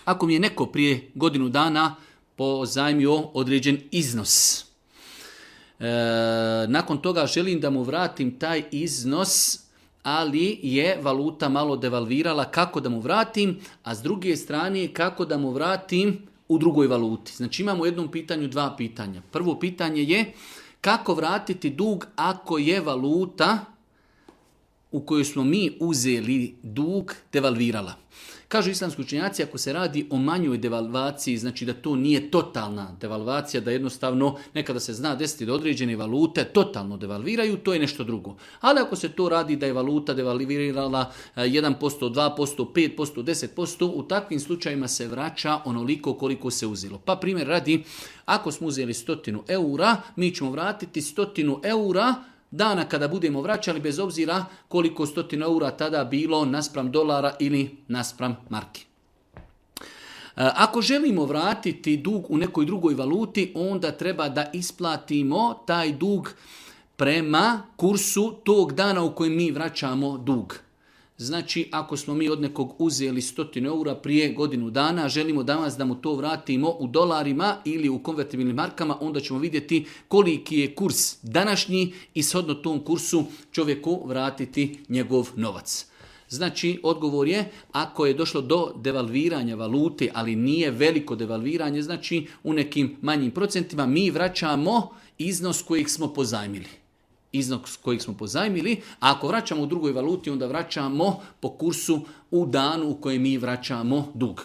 Ako mi je neko prije godinu dana pozajmio određen iznos, nakon toga želim da mu vratim taj iznos, ali je valuta malo devalvirala, kako da mu vratim, a s druge strane kako da mu vratim u drugoj valuti. Znači imamo u jednom pitanju dva pitanja. Prvo pitanje je kako vratiti dug ako je valuta u kojoj smo mi uzeli dug devalvirala. Kažu islamski učenjaci, ako se radi o manjoj devalvaciji, znači da to nije totalna devalvacija, da jednostavno nekada se zna desiti da određene valute totalno devalviraju, to je nešto drugo. Ali ako se to radi da je valuta devalvirala 1%, 2%, 5%, 10%, u takvim slučajima se vraća onoliko koliko se uzelo. Pa primjer radi, ako smo uzeli 100 eura, mi ćemo vratiti 100 eura dana kada budemo vraćali, bez obzira koliko 100 eura tada bilo naspram dolara ili naspram marki. Ako želimo vratiti dug u nekoj drugoj valuti, onda treba da isplatimo taj dug prema kursu tog dana u kojem mi vraćamo dug. Znači, ako smo mi od nekog uzeli 100 eura prije godinu dana, želimo danas da mu to vratimo u dolarima ili u konvertibilnim markama, onda ćemo vidjeti koliki je kurs današnji i shodno tom kursu čovjeku vratiti njegov novac. Znači, odgovor je, ako je došlo do devalviranja valute, ali nije veliko devalviranje, znači u nekim manjim procentima, mi vraćamo iznos kojeg smo pozajmili. A ako vraćamo u drugoj valuti, onda vraćamo po kursu u danu u kojem mi vraćamo dug.